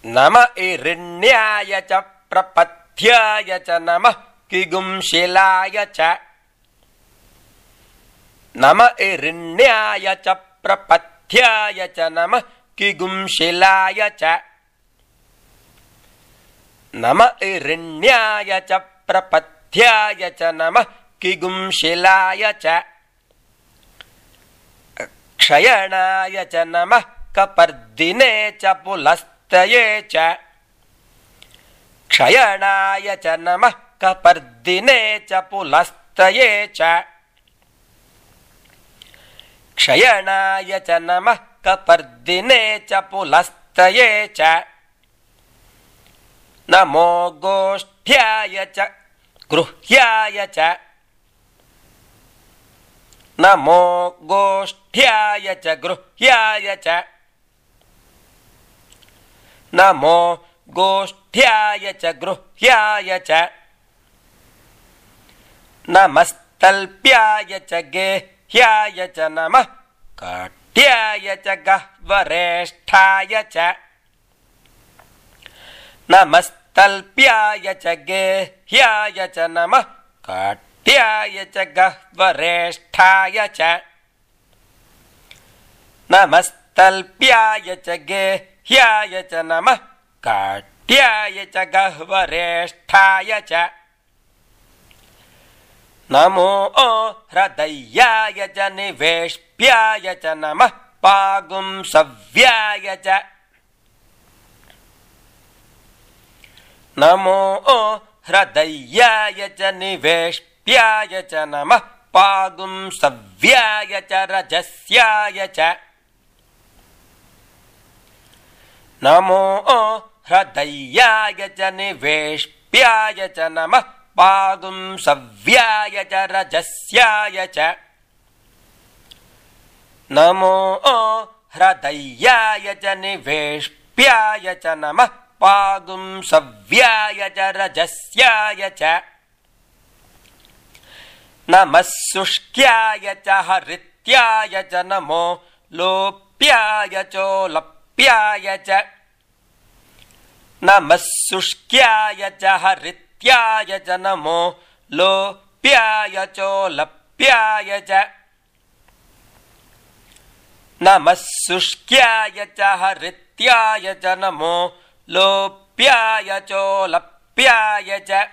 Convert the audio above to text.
नम इरिण्याय च प्रपथ्याय च नमः किगुंशिलाय च नम इरिण्याय च प्रपथ्याय च नमः किगुंशिलाय च नम इरिण्याय च प्रपथ्याय च नमः किगुंशिलाय च क्षयणाय च नमः कपर्दिने च पुलस्तये च क्षयणाय च नमः कपर्दिने च पुलस्तये च क्षयणाय च नमः कपर्दिने च पुलस्तये च नमो गोष्ठ्याय च गृह्याय च नमो गोष्ठ्याय च गृह्याय च नमो गोष्ठ्याय च गृह्याय च नमस्तल्प्याय च गेह्याय च नमः काट्याय च गह्वरेष्ठाय च नमस्तल्प्याय च गेह्याय च नमः काट्याय च गह्वरेष्ठाय च नमस्तल्प्याय च गेह्याय च नमः काट्याय च गह्वरेष्ठाय च नमो हृदयाय च निवेश्प्याय च नमः पागुंसव्याय च नमो हृदयाय च निवेश्प्याय च नमः पागुंसव्याय च रजस्याय च नमो हृदयाय च निवेश्प्याय च नमः पागुंसव्याय च रजस्याय च नमो हृदयाय च निवेश्प्याय च नमः पागुंसव्याय च रजस्याय च नमः शुष्क्याय च हरित्याय च नमो लोप्याय चोलप्याय च नमः शुष्क्याय च हरित्याय च नमो लोप्याय चोलप्याय च नमः शुष्क्याय च हरित्याय च नमो लोप्याय चोलप्याय च